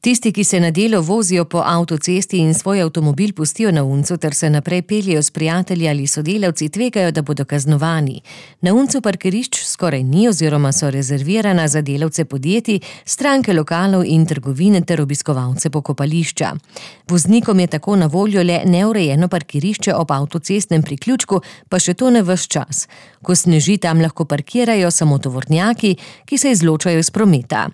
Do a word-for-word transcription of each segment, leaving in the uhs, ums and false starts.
Tisti, ki se na delo vozijo po avtocesti in svoj avtomobil pustijo na uncu ter se naprej peljejo s prijatelji ali sodelavci, tvegajo, da bodo kaznovani. Na uncu parkirišč skoraj ni oziroma so rezervirana za delavce podjetij, stranke lokalov in trgovine ter obiskovalce pokopališča. Voznikom je tako na voljo le neurejeno parkirišče ob avtocestnem priključku, pa še to ne ves čas. Ko sneži, tam lahko parkirajo samo tovornjaki, ki se izločajo iz prometa.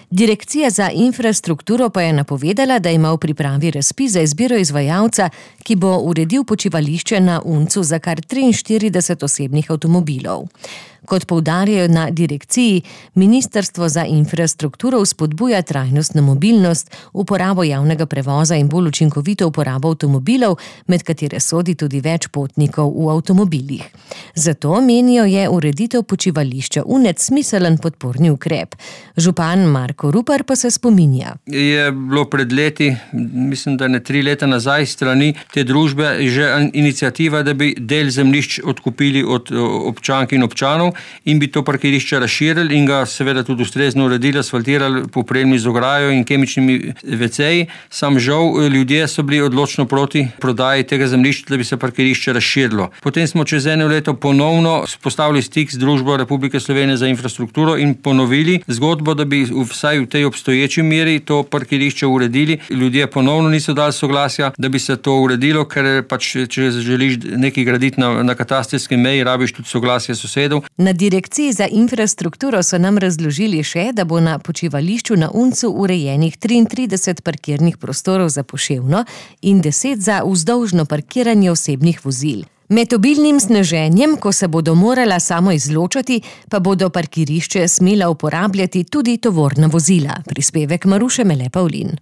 Direkcija za infrastrukturo pa je napovedala, da ima v pripravi razpis za izbiro izvajalca, ki bo uredil počivališče na uncu za kar triinštirideset osebnih avtomobilov. Kot poudarjajo na direkciji, Ministrstvo za infrastrukturo vzpodbuja trajnostno mobilnost, uporabo javnega prevoza in bolj učinkovito uporabo avtomobilov, med katere sodi tudi več potnikov v avtomobilih. Zato, menijo, je ureditev počivališča Unec smiselen podporni ukrep. Župan Marko Rupar pa se spominja. Je bilo pred leti, mislim, da ne tri leta nazaj, strani te družbe že iniciativa, da bi del zemljišč odkupili od občank in občanov in bi to parkirišče razširili in ga seveda tudi ustrezno uredili, asfaltirali, popremili z ograjo in kemičnimi veceji. Sam žal, ljudje so bili odločno proti prodaji tega zemljišča, da bi se parkirišče razširilo. Potem smo čez eno leto ponovno postavili stik z družbo Republike Slovenije za infrastrukturo in ponovili zgodbo, da bi vsaj v tej obstoječi meri to parkirišče uredili. Ljudje ponovno niso dali soglasja, da bi se to uredilo, ker pač, če želiš nekaj graditi na, na katastrski meji, rabiš tudi soglasje sosedov. Na direkciji za infrastrukturo so nam razložili še, da bo na počivališču na Uncu urejenih triintrideset parkirnih prostorov za poševno in deset za vzdolžno parkiranje osebnih vozil. Med obilnim sneženjem, ko se bodo morala samo izločati, pa bodo parkirišče smela uporabljati tudi tovorna vozila. Prispevek Maruše Mele Pavlin.